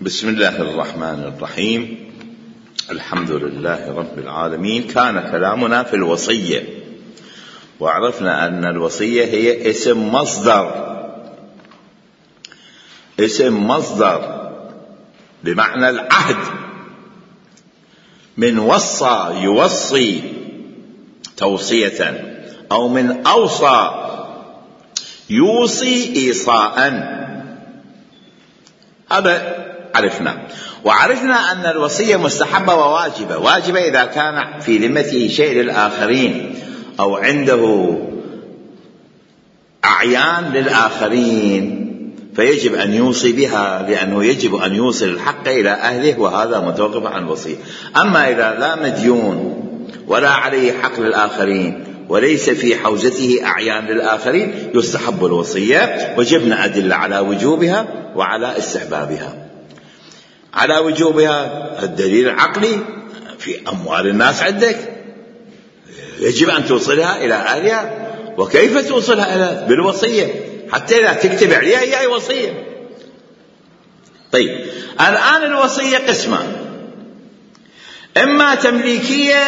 بسم الله الرحمن الرحيم. الحمد لله رب العالمين. كان كلامنا في الوصية، وعرفنا أن الوصية هي اسم مصدر بمعنى العهد، من وصى يوصي توصية، أو من أوصى يوصي إيصاء. هذا عرفنا. وعرفنا أن الوصية مستحبة وواجبة. واجبة إذا كان في ذمته شيء للآخرين أو عنده أعيان للآخرين فيجب أن يوصي بها، لأنه يجب أن يوصل الحق إلى أهله، وهذا متوقف عن الوصية. أما إذا لا مديون ولا عليه حق للآخرين وليس في حوزته أعيان للآخرين يستحب الوصية، وجبنا أدلة على وجوبها وعلى استحبابها. على وجوبها الدليل العقلي: في أموال الناس عندك يجب أن توصلها إلى أهلها. وكيف توصلها إلى؟ بالوصية، حتى إذا تكتب عليها هي وصية. طيب، الآن الوصية قسمان: إما تمليكية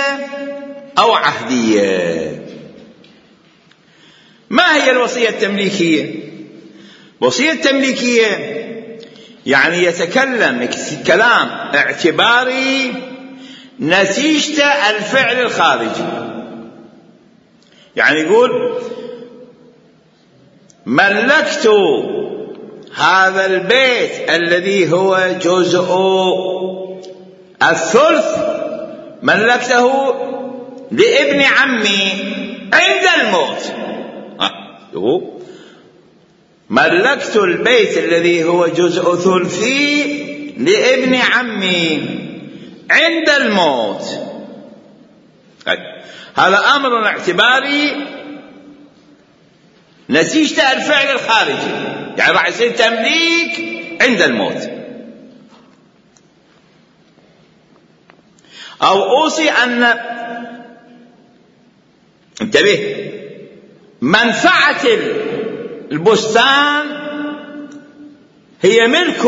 أو عهدية. ما هي الوصية التمليكية؟ وصية التمليكية يعني يتكلم كلام اعتباري نتيجة الفعل الخارجي. يعني يقول: ملكت هذا البيت الذي هو جزء الثلث، ملكته لابن عمي عند الموت. ملكت البيت الذي هو جزء ثلثي لابن عمي عند الموت. هذا أمر اعتباري نتيجة الفعل الخارجي، يعني راح يصير تمليك عند الموت. أو أوصي أن، انتبه، منفعة البستان هي ملك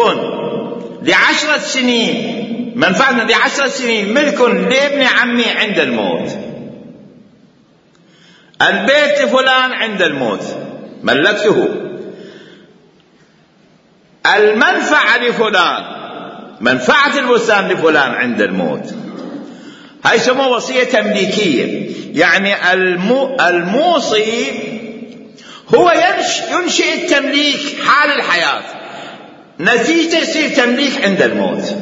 ل10 سنين، منفعة ل10 سنين، ملك لابن عمي عند الموت. البيت لفلان عند الموت ملكته. المنفعة لفلان، منفعة البستان لفلان عند الموت. هاي يسموها وصية تمليكية. يعني الموصي هو ينشئ التمليك حال الحياة، نتيجة يصير تمليك عند الموت.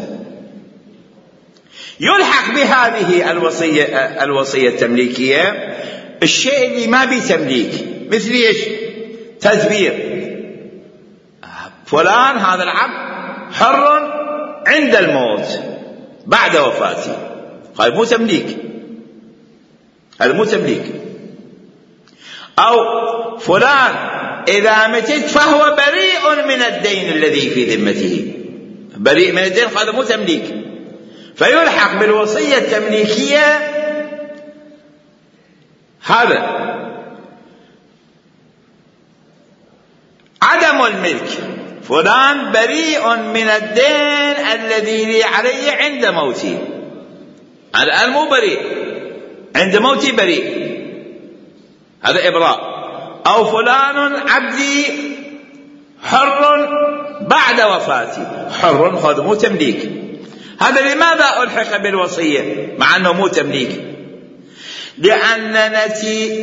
يلحق بهذه الوصية التمليكية الشيء اللي ما بيه تمليك، مثل ايش؟ تدبير: فلان هذا العبد حر عند الموت بعد وفاته. هذا مو تمليك، هذا مو تمليك. أو فلان إذا متت فهو بريء من الدين الذي في ذمته، بريء من الدين، هذا مو تمليك. فيلحق بالوصية التمليكية هذا عدم الملك: فلان بريء من الدين الذي لي عليه عند موتي. الآن مو بريء، عند موتي بريء، هذا إبراء. أو فلان عبدي حر بعد وفاتي، حر، هذا مو تمليك. هذا لماذا ألحق بالوصية مع أنه مو تمليك؟ لأن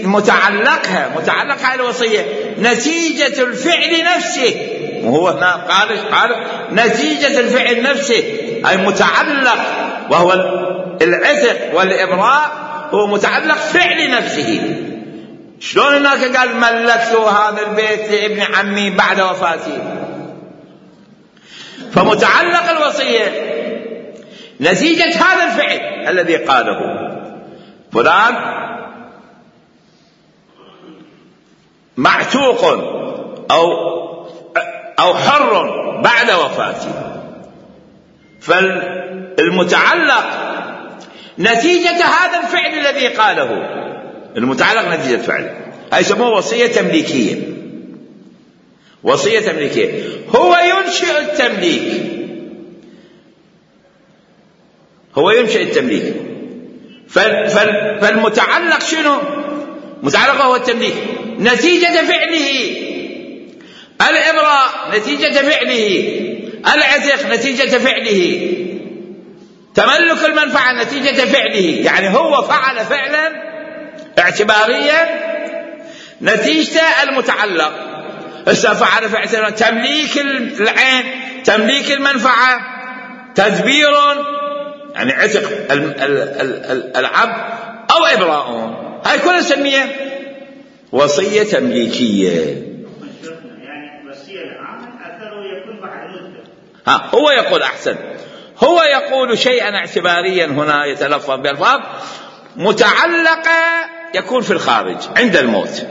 متعلقها الوصية نتيجة الفعل نفسه. وهو هنا قال نتيجة الفعل نفسه، أي متعلق، وهو العتق والإبراء هو متعلق فعل نفسه. شلون هناك قال ملكت هذا البيت لابن عمي بعد وفاتي؟ فمتعلق الوصية نتيجة هذا الفعل الذي قاله: فلان معتوق أو حر بعد وفاتي. فالمتعلق نتيجة هذا الفعل الذي قاله، المتعلق نتيجة الفعل. هاي يسموه وصية تمليكية. وصية تمليكية هو ينشئ التمليك هو ينشئ التمليك. فالمتعلق شنو؟ متعلق هو التمليك، نتيجة فعله. الإبراء نتيجة فعله، العتق نتيجة فعله، تملك المنفعة نتيجة فعله. يعني هو فعل فعلا اعتباريا نتيجة المتعلق. فعل فعلا تمليك العين، تمليك المنفعة، تدبير يعني عتق العبد أو إبراء، هاي كلها نسميها وصية تمليكية. يعني وصية العامل أثره يكون بعد مدة. هو يقول أحسن، هو يقول شيئا اعتباريا هنا يتلفظ بالألفاظ متعلقة يكون في الخارج عند الموت.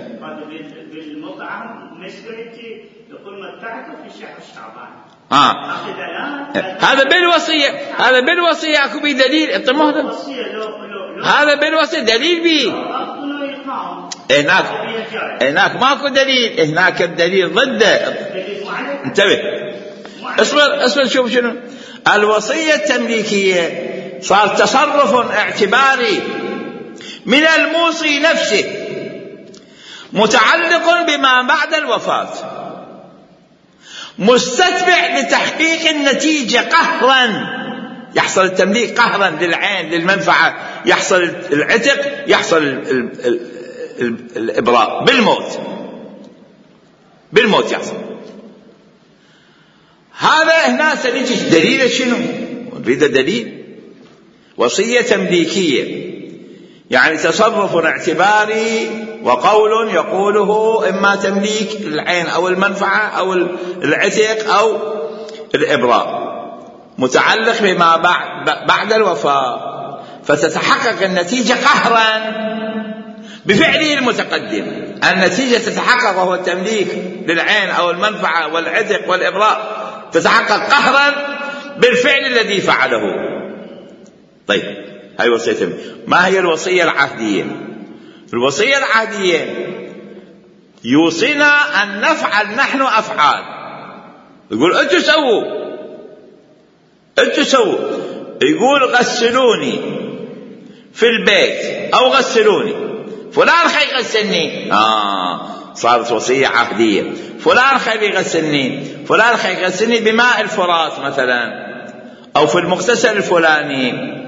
بالمطعم مسكرتي يقول متعته في شهر شعبان. هذا بالوصية، هذا بالوصية اكو بيه دليل. انت هذا بالوصية دليل بيه. هناك ماكو دليل، هناك الدليل ضده. انتبه، اصبر شوف شنو الوصية التمليكية. صار تصرف اعتباري من الموصي نفسه متعلق بما بعد الوفاة، مستتبع لتحقيق النتيجة قهرا. يحصل التمليك قهرا للعين للمنفعة، يحصل العتق، يحصل الإبراء بالموت يحصل. هذا هنا سنجي دليل شنو؟ نريد دليل. وصية تمليكية يعني تصرف اعتباري وقول يقوله إما تمليك العين أو المنفعة أو العتق أو الإبراء، متعلق بما بعد الوفاة، فتتحقق النتيجة قهرا بفعله المتقدم. النتيجة تتحقق وهو التمليك للعين أو المنفعة والعتق والإبراء، تتحقق قهرا بالفعل الذي فعله. طيب، هاي وصية. ما هي الوصية العهدية؟ الوصية العهدية يوصينا أن نفعل نحن أفعال، يقول أنتوا سووا، يقول غسلوني في البيت أو غسلوني، فلان خي يغسلني، صارت وصية عهدية. فلان خي يغسلني، فلان خي يغسلني بماء الفرات مثلا، أو في المغتسل الفلاني،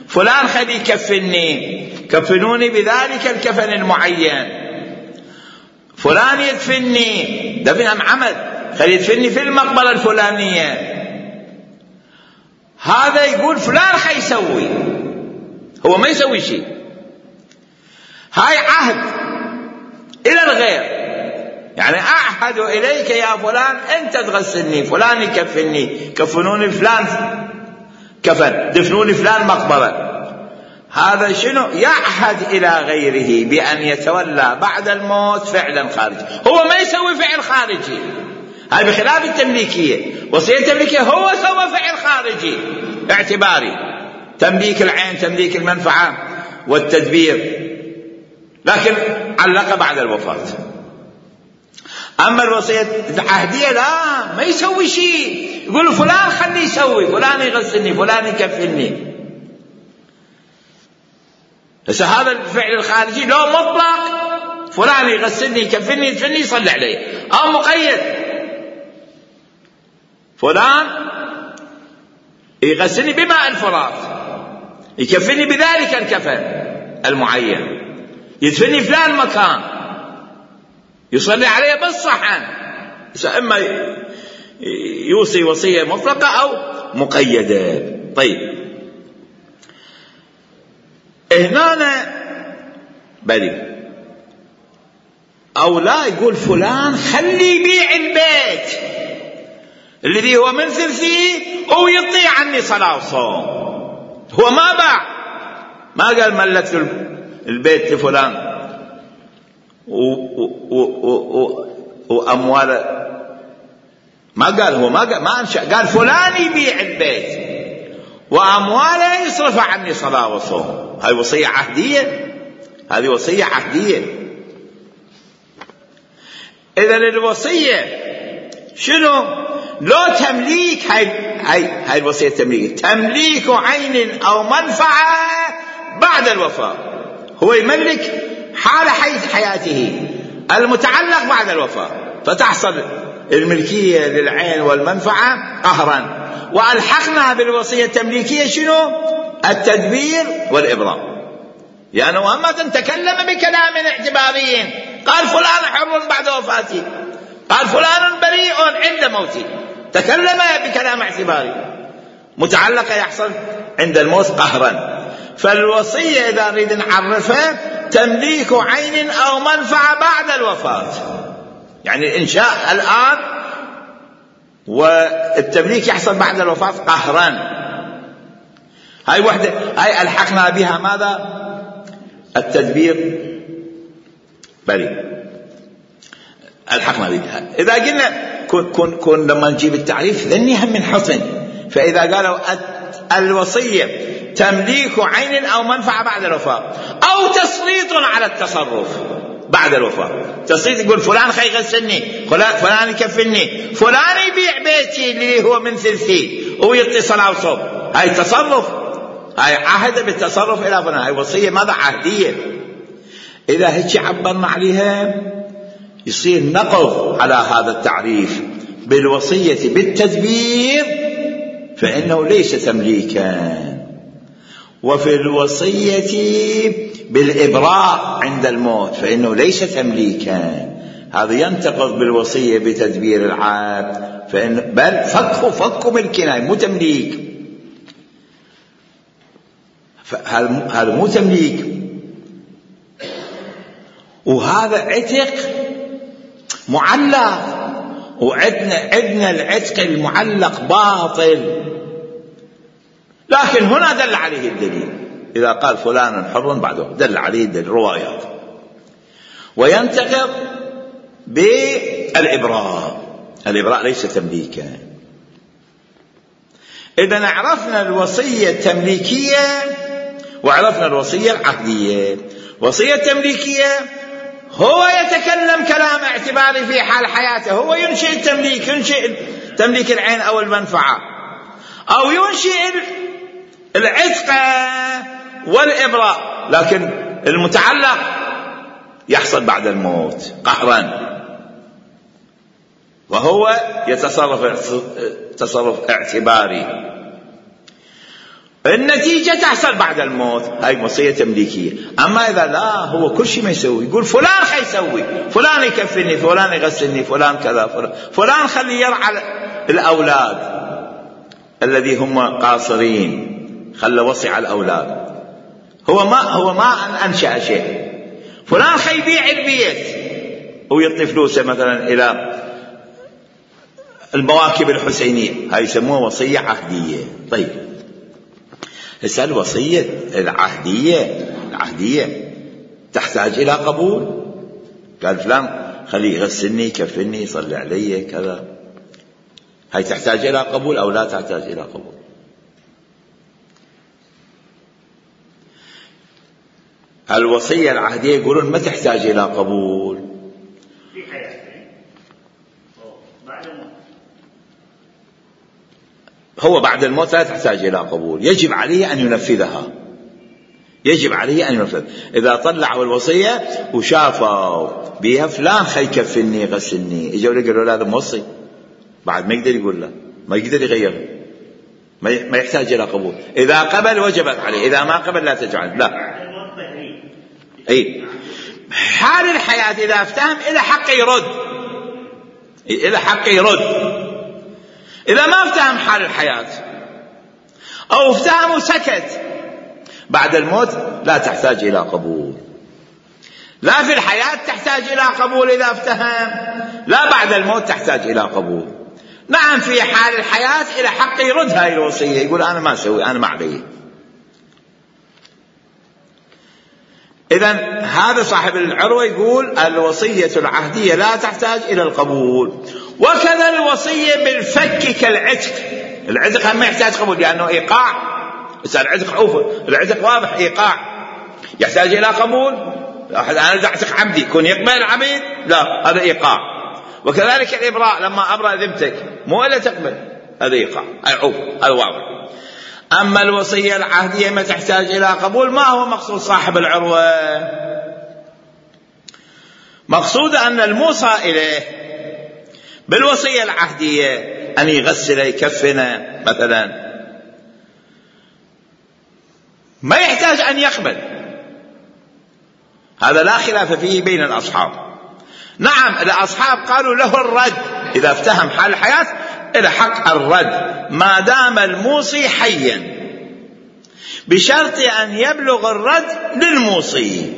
فلان خلي يكفني، كفنوني بذلك الكفن المعين، فلان يدفني دفن عمد، خلي يدفني في المقبرة الفلانية. هذا يقول فلان خلي يسوي، هو ما يسوي شيء. هاي عهد إلى الغير، يعني أعهد إليك يا فلان أنت تغسلني، فلان يكفني، كفنوني فلان كفن، دفنوني فلان مقبرة. هذا شنو؟ يعهد إلى غيره بأن يتولى بعد الموت فعلا خارجي، هو ما يسوي فعل خارجي. هاي بخلاف التمليكية. وصية التمليكية هو سوى فعل خارجي اعتباري، تمليك العين، تمليك المنفعة والتدبير، لكن علق بعد الوفاة. أما الوصية العهدية لا، ما يسوي شيء، يقول فلان خليه يسوي، فلان يغسلني، فلان يكفلني. بس هذا الفعل الخارجي لو مطلق، فلان يغسلني، يكفلني، يدفني، يصلي عليه، أو مقيد، فلان يغسلني بماء الفرات، يكفلني بذلك الكفن المعين، يدفني فلان مكان، يصلي عليه بالصحن. إما يوصي وصية مطلقة أو مقيدة. طيب، هنا بلي أو لا، يقول فلان خلي يبيع البيت الذي هو من ثلثي أو يطيع عني صلاة وصوم. هو ما باع، ما قال ملكت البيت لفلان وأموال، ما قال، هو ما أنشأ، قال فلان يبيع البيت وأمواله يصرف عني صلاة وصوم. هاي وصية عهدية، هذه وصية عهدية. إذن الوصية شنو؟ لو تمليك، هاي الوصية التمليكية، تمليك عين أو منفعة بعد الوفاة. هو يملك حال حياته المتعلق بعد الوفاة، فتحصل الملكية للعين والمنفعة قهرا. وألحقنا بالوصية التمليكية شنو؟ التدبير والإبراء. يعني محمد تكلم بكلام اعتباري، قال فلان حر بعد وفاته، قال فلان بريء عند موته، تكلم بكلام اعتباري متعلقة يحصل عند الموت قهرا. فالوصية إذا نريد نعرفها تمليك عين أو منفعة بعد الوفاة، يعني الإنشاء الآن والتمليك يحصل بعد الوفاة قهرا. هاي وحدة، هاي ألحقنا بها ماذا؟ التدبير بريء، ألحقنا بها. إذا قلنا كن لما نجيب التعريف ذني هم من حسن، فإذا قالوا الوصية تمليك عين أو منفعة بعد الوفاة أو تسليط على التصرف بعد الوفاة. تسليط يقول فلان خي يغسلني، فلان يكفلني، فلان يبيع بيتي اللي هو من ثلثي ويعطي صلاة وصوم، هاي تصرف، هاي عهد بالتصرف إلى فلان، هاي وصية ماذا؟ عهدية. إذا هيك عبرنا عليها يصير نقض على هذا التعريف بالوصية بالتدبير، فإنه ليس تمليكا. وفي الوصية بالإبراء عند الموت فإنه ليس تمليكا، هذا ينتقض بالوصية بتدبير العهد، بل فك ملكنا مو تمليك، هذا مو تمليك، وهذا عتق معلق. وعدنا العتق المعلق باطل، لكن هنا دل عليه الدليل. إذا قال فلان حر بعده دل عليه الدليل روايات. وينتقض بالإبراء، الإبراء ليس تمليكا. إذا عرفنا الوصية التمليكية وعرفنا الوصية العهدية. وصية تمليكية هو يتكلم كلام اعتباري في حال حياته، هو ينشئ التمليك، ينشئ تمليك العين أو المنفعة، أو ينشئ العتق والإبراء، لكن المتعلق يحصل بعد الموت قهرا، وهو يتصرف تصرف اعتباري، النتيجة تحصل بعد الموت، هاي وصية تمليكية. أما إذا لا، هو كل شيء ما يسوي، يقول فلان خيسوي، فلان يكفني، فلان يغسلني، فلان كذا، فلان خلي يرعى الأولاد الذي هم قاصرين، خلى وصي على الأولاد، هو ما أنشأ شيء، فلان خي يبيع البيت ويعطي فلوسه مثلا إلى المواكب الحسينية، هاي يسموها وصية عهدية. طيب هسه الوصية العهدية تحتاج إلى قبول، قال فلان خليه يغسلني، يكفلني، يصلي علي كذا، هاي تحتاج إلى قبول أو لا تحتاج إلى قبول؟ الوصية العهدية يقولون ما تحتاج إلى قبول في حياته بعد الموت. هو بعد الموت لا تحتاج إلى قبول، يجب عليه أن ينفذها، يجب عليه أن ينفذ. إذا طلعوا الوصية وشافوا بها فلان خي يكفلني يغسلني، إجوا له قالوا هذا موصي، بعد ما يقدر يقول لا، ما يقدر يغيره، ما يحتاج إلى قبول. إذا قبل وجبت عليه، إذا ما قبل لا تجعل. لا أي حال الحياة إذا افتهم إلى حق يرد، إلى حق يرد. إذا ما افتهم حال الحياة أو افتهم وسكت، بعد الموت لا تحتاج إلى قبول. لا في الحياة تحتاج إلى قبول إذا افتهم، لا بعد الموت تحتاج إلى قبول. نعم في حال الحياة إلى حق يرد هاي الوصية، يقول أنا ما أسوي، أنا ما علي. إذن هذا صاحب العروة يقول الوصية العهدية لا تحتاج إلى القبول. وكذا الوصية بالفك كالعتق، العتق هم يحتاج قبول لأنه إيقاع، العتق واضح إيقاع، يحتاج إلى قبول. أنا أعتق عبدي، كون يقبل العبيد لا، هذا إيقاع. وكذلك الإبراء، لما أبرأ ذمتك مو إلا تقبل، هذا يقع، هذا واضح. أما الوصية العهدية ما تحتاج إلى قبول. ما هو مقصود صاحب العروة؟ مقصود أن الموصى إليه بالوصية العهدية أن يغسل يكفن مثلا، ما يحتاج أن يقبل، هذا لا خلاف فيه بين الأصحاب. نعم الأصحاب قالوا له الرد، إذا افتهم حال الحياة إلى حق الرد ما دام الموصي حيا، بشرط أن يبلغ الرد للموصي،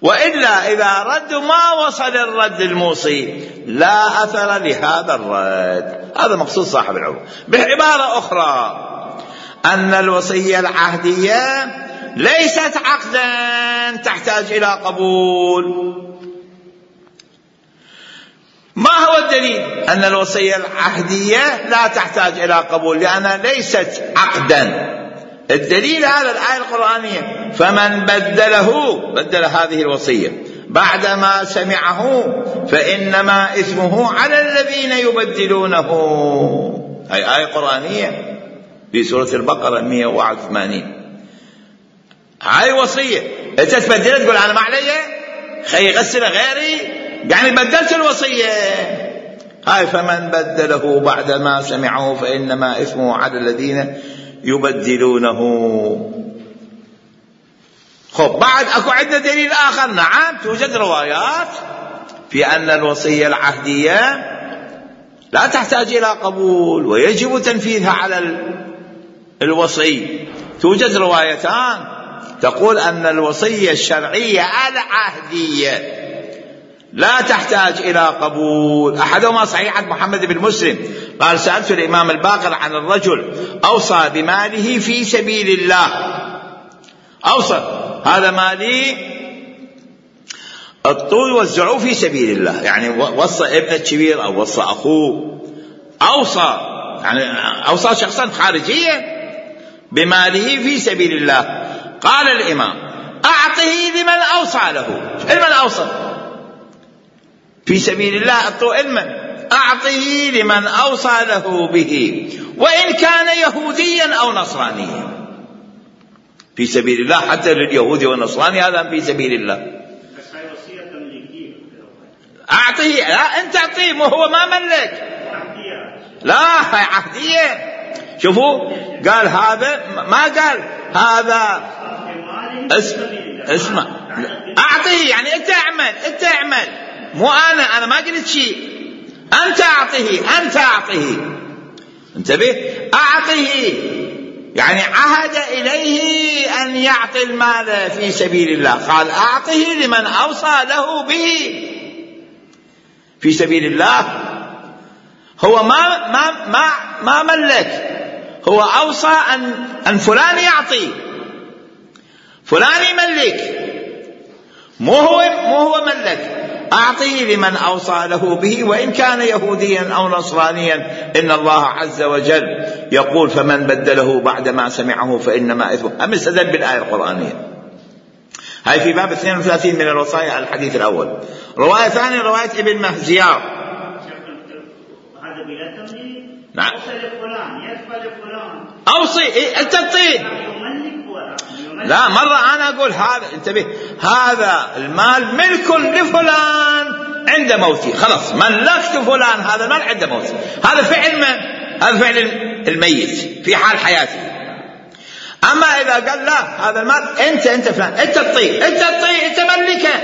وإلا إذا رد ما وصل الرد للموصي لا أثر لهذا الرد. هذا مقصود صاحب العروة. بعبارة أخرى أن الوصية العهدية ليست عقدا تحتاج إلى قبول. ما هو الدليل أن الوصية العهدية لا تحتاج إلى قبول؟ لأنها ليست عقدا. الدليل هذا الآية القرآنية: فمن بدل هذه الوصية بعدما سمعه فإنما إثمه على الذين يبدلونه. هاي آية قرآنية في سورة البقرة 181. هاي وصية، أنت تبدلها تقول أنا ما علي خي يغسل غيري، يعني بدلت الوصية. هاي فمن بدله بعدما سمعه فإنما إثمه على الذين يبدلونه. خب بعد أكو عندنا دليل آخر. نعم توجد روايات في أن الوصية العهدية لا تحتاج إلى قبول ويجب تنفيذها على الوصي. توجد روايتان تقول أن الوصية الشرعية العهدية لا تحتاج إلى قبول. أحدهما صحيحة محمد بن مسلم قال: سألت الإمام الباقر عن الرجل أوصى بماله في سبيل الله، أوصى هذا مالي الطول وزعوه في سبيل الله، يعني وصى ابنه الكبير أو وصى أخوه، أوصى يعني أوصى شخصا خارجيا بماله في سبيل الله. قال الإمام: أعطه لمن أوصى له. لمن أوصى في سبيل الله أعطوا علما، أعطه لمن أوصى له به وإن كان يهوديا أو نصرانيا. في سبيل الله حتى لليهودي والنصراني هذا في سبيل الله. بس هاي وصية تمليكية. أعطه، لا أنت أعطيه، مو هو ما ملك، لا هاي عهدية. شوفوا قال هذا، ما قال هذا اسمع أعطيه، يعني أنت اعمل مو أنا ما قلت شيء، أنت أعطيه. انتبه، أعطيه يعني عهد إليه أن يعطي المال في سبيل الله. قال أعطيه لمن أوصى له به في سبيل الله. هو ما ملك، هو أوصى أن فلان يعطي، فلان يملك، مو هو ملك. أعطيه لمن أوصى له به وإن كان يهوديا أو نصرانيا. إن الله عز وجل يقول: فمن بدله بعدما سمعه فإنما إثمه. أم استدل بالآية القرآنية. هاي في باب 32 من الوصايا على الحديث الأول. رواية ثانية رواية ابن مهزيار. هذا بلا تمليك. نعم. أوصي لفلان، يدفع لفلان. أوصي أنت تعطيه. لا مرة أنا أقول هذا، انتبه، هذا المال ملك لفلان عند موتي، خلاص ملكت فلان هذا المال عند موتي. هذا فعل من؟ هذا فعل الميت في حال حياته. أما إذا قال لا هذا المال أنت فلان، أنت تعطيه، أنت ملكه،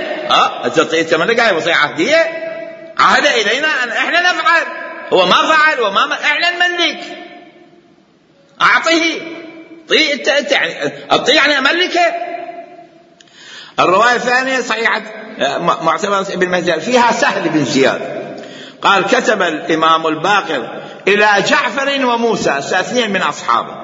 أنت تعطيه، أنت ملكه. هي وصية عهدية، عهد إلينا أن إحنا نفعل، هو ما فعل وما إحنا نملك. أعطيه، انت يعني املكه. الروايه الثانيه صحيحه معتبر ابن مهزيار فيها سهل بن زياد قال: كتب الامام الباقر الى جعفر وموسى اثنين من اصحابه،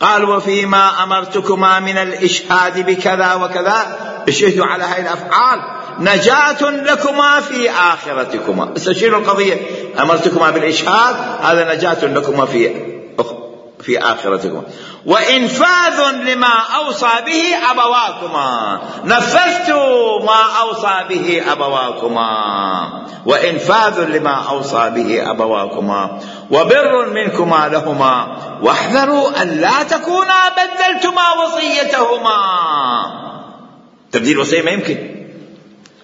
قال: وفيما امرتكما من الاشهاد بكذا وكذا، اشهدوا على هذه الافعال، نجاة لكما في آخرتكما. استشيروا القضية، أمرتكما بالإشهاد، هذا نجاة لكما في آخرتكم وإنفاذ لما أوصى به أبواكما. نفذت ما أوصى به أبواكما، وإنفاذ لما أوصى به أبواكما، وبر منكما لهما، واحذروا أن لا تكونا بدلتما وصيتهما. تبديل وصية ما يمكن.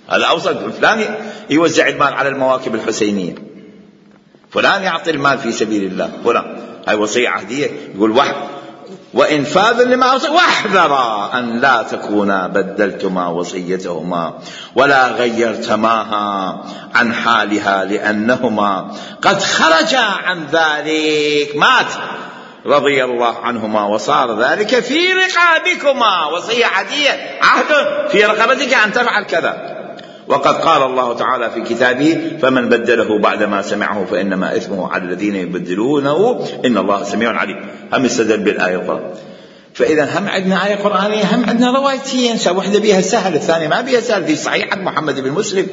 هذا أوصى فلان يوزع المال على المواكب الحسينية، فلان يعطي المال في سبيل الله، فلان. هاي وصية عهدية. يقول وإنفاذ لما أوصى، واحذرا أن لا تكونا بدلتما وصيتهما ولا غيرتماها عن حالها لأنهما قد خرجا عن ذلك. مات رضي الله عنهما وصار ذلك في رقابكما. وصية عهدية، عهد في رقبتك أن تفعل كذا. وقد قال الله تعالى في كتابه فمن بدله بعدما سمعه فإنما إثمه على الذين يبدلونه إن الله سميع عليم. هم استدل بالآية القرآن. فإذا هم عندنا آية قرآنية، هم عندنا روايتين، واحدة بيها سهل الثانية ما بيها سهل، في صحيح محمد بن مسلم.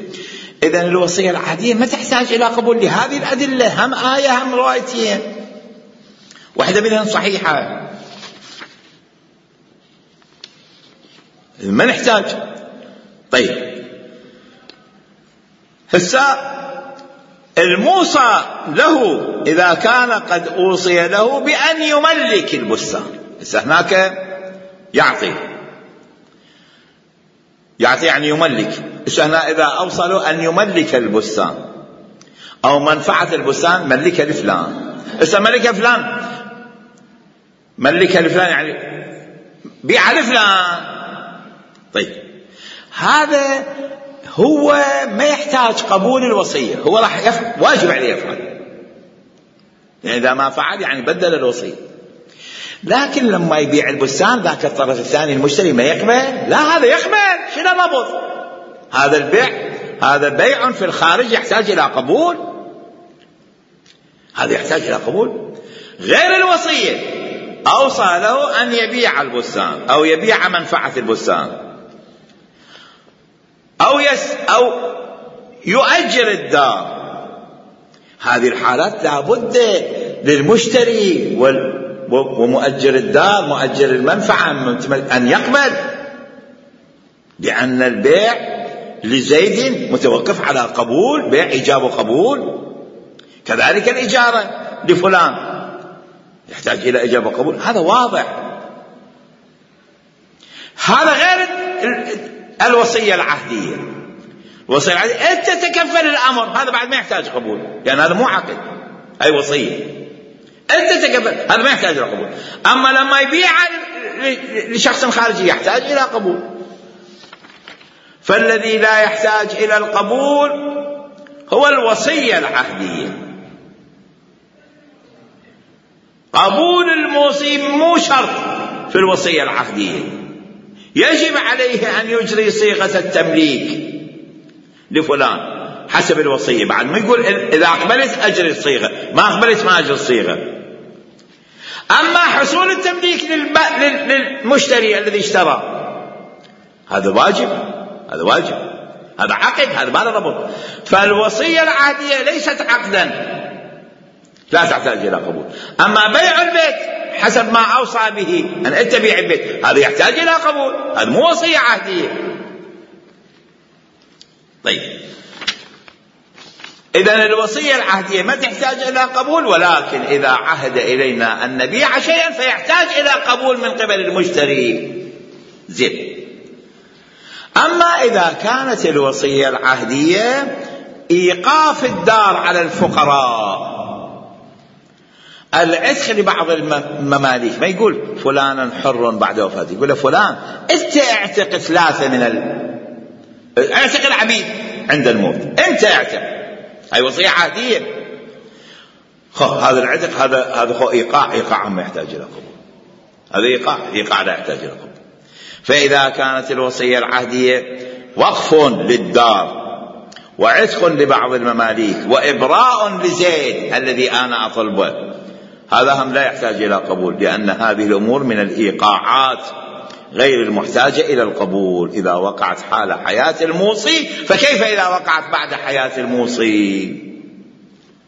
إذن الوصية العهدية ما تحتاج إلى قبول لهذه الأدلة، هم آية هم روايتين، واحدة منهم صحيحة، ما نحتاج. طيب هسه الموصى له إذا كان قد أوصي له بأن يملك البستان، هسه هناك يعطي يعني يملك. هسه هنا إذا أوصى له أن يملك البستان أو منفعة البستان ملكها لفلان. هسه ملكها فلان، ملكها لفلان يعني بيع لفلان. طيب هذا هو ما يحتاج قبول الوصية، هو راح واجب عليه يفعل، يعني إذا ما فعل يعني بدل الوصية. لكن لما يبيع البستان ذاك الطرف الثاني المشتري ما يقبل، لا هذا يقبل. شنو نبض هذا البيع؟ هذا بيع في الخارج يحتاج إلى قبول، هذا يحتاج إلى قبول. غير الوصية أوصى له أن يبيع البستان أو يبيع منفعة البستان أو يؤجر الدار. هذه الحالات لابد للمشتري ومؤجر الدار مؤجر المنفعة أن يقبل، لأن البيع لزيد متوقف على قبول، بيع إيجاب وقبول. كذلك الإجارة لفلان يحتاج إلى إيجاب وقبول، هذا واضح. هذا غير الوصية العهدية. الوصية العهدية أنت تكفل الأمر، هذا بعد ما يحتاج قبول، يعني هذا مو عقد، أي وصية أنت تكفل، هذا ما يحتاج إلى قبول. أما لما يبيع لشخص خارجي يحتاج إلى قبول. فالذي لا يحتاج إلى القبول هو الوصية العهدية. قبول الموصي مو شرط في الوصية العهدية، يجب عليه أن يجري صيغة التمليك لفلان حسب الوصية. بعد ما يقول إذا أقبلت أجري الصيغة، ما أقبلت ما أجري الصيغة. أما حصول التمليك للمشتري الذي اشترى هذا واجب، هذا واجب، هذا عقد، هذا ما له ربط. فالوصية العهدية ليست عقدا لا تحتاج إلى قبول. أما بيع البيت حسب ما أوصى به أن أنت بيع البيت هذا يحتاج إلى قبول، هذا مو وصية عهدية. طيب إذن الوصية العهدية ما تحتاج إلى قبول، ولكن إذا عهد إلينا أن نبيع شيئا فيحتاج إلى قبول من قبل المشتري. زين. أما إذا كانت الوصية العهدية إيقاف الدار على الفقراء، العتق لبعض المماليك، ما يقول فلانا حر بعد وفاته، يقول فلان أنت اعتق 3 من اعتق العبيد عند الموت، أنت اعتق. هاي وصية عهدية. هذا العتق هذا إيقاع ما يحتاج إلى قبول، هذا إيقاع لا يحتاج إلى قبول. فإذا كانت الوصية العهدية وقف للدار وعتق لبعض المماليك وإبراء لزيد الذي أنا أطلبه، هذا هم لا يحتاج إلى قبول، لأن هذه الأمور من الإيقاعات غير المحتاجة إلى القبول. إذا وقعت حال حياة الموصي فكيف إذا وقعت بعد حياة الموصي؟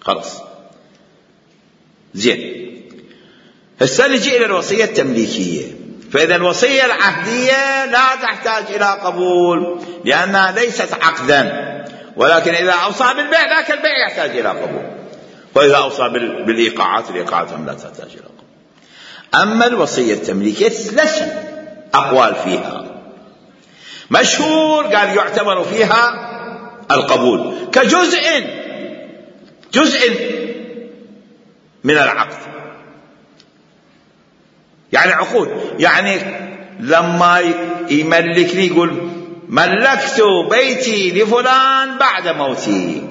خلاص. زين. هسه نجي إلى الوصية التمليكية. فإذا الوصية العهدية لا تحتاج إلى قبول لأنها ليست عقدا، ولكن إذا أوصى بالبيع ذاك البيع يحتاج إلى قبول، وإذا أوصى بالإيقاعات الإيقاعات هم لا تحتاج إلى قبول. أما الوصية التمليكية ثلاث أقوال فيها، مشهور قال يعتبر فيها القبول كجزء من العقد، يعني عقود. يعني لما يملكني يقول ملكت بيتي لفلان بعد موتي،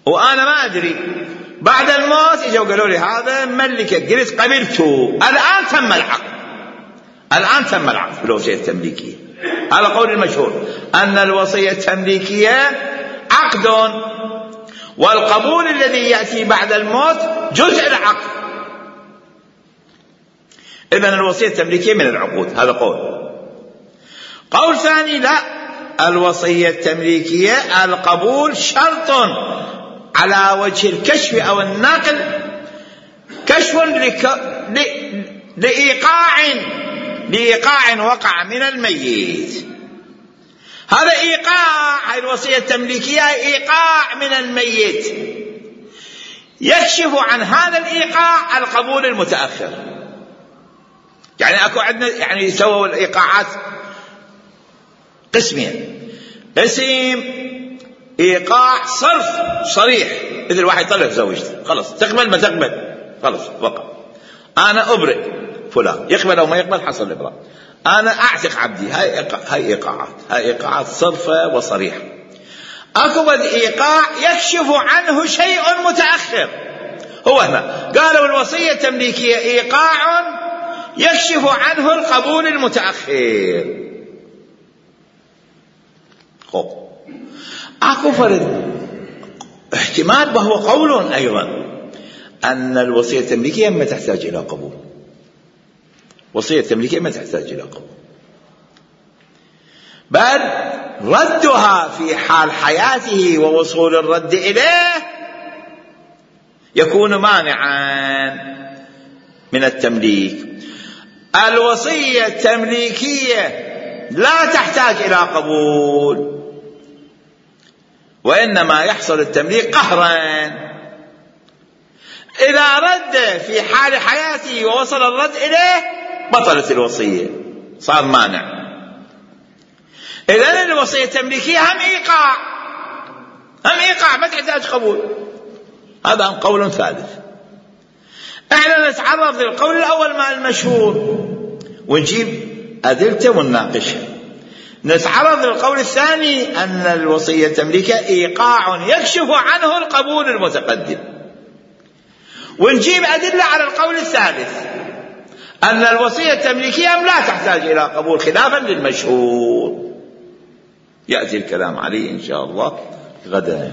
وأنا ما أدري، بعد الموت إجوا قالوا لي هذا ملكك، قلت قبلته، الآن تم العقد بالوصية التمليكية. هذا قول المشهور أن الوصية التمليكية عقد، والقبول الذي يأتي بعد الموت جزء العقد. إذن الوصية التمليكية من العقود، هذا قول ثاني لا، الوصية التمليكية القبول شرط على وجه الكشف أو النقل، كشف لإيقاع وقع من الميت. هذا إيقاع، هذه الوصية التمليكية إيقاع من الميت، يكشف عن هذا الإيقاع القبول المتأخر. يعني أكو عندنا يعني يسووا الإيقاعات قسمين، قسم إيقاع صرف صريح، مثل واحد يطلق زوجته خلص تقبل ما تقبل خلص وقع، أنا أبرئ فلان، يقبل أو ما يقبل حصل الإبراء، أنا أعتق عبدي، هاي إيقاعات صرفة وصريحة. أكو إيقاع يكشف عنه شيء متأخر، هو هنا قالوا الوصية التمليكية إيقاع يكشف عنه القبول المتأخر. أكو فرد احتمال وهو قول أيضا أن الوصية التمليكية ما تحتاج إلى قبول، وصية التمليكية ما تحتاج إلى قبول، بل ردها في حال حياته ووصول الرد إليه يكون مانعا من التمليك. الوصية التمليكية لا تحتاج إلى قبول، وإنما يحصل التمليك قهرا. إذا رد في حال حياته ووصل الرد إليه بطلت الوصية، صار مانع. إذن الوصية التمليكية هم إيقاع ما تحتاج قبول. هذا قول ثالث. احنا نتعرض للقول الأول مع المشهور ونجيب أدلته ونناقشها. نتعرض للقول الثاني أن الوصية التمليكية إيقاع يكشف عنه القبول المتقدم، ونجيب أدلة على القول الثالث أن الوصية التمليكية لا تحتاج إلى قبول خلافا للمشهور. يأتي الكلام عليه إن شاء الله غدا.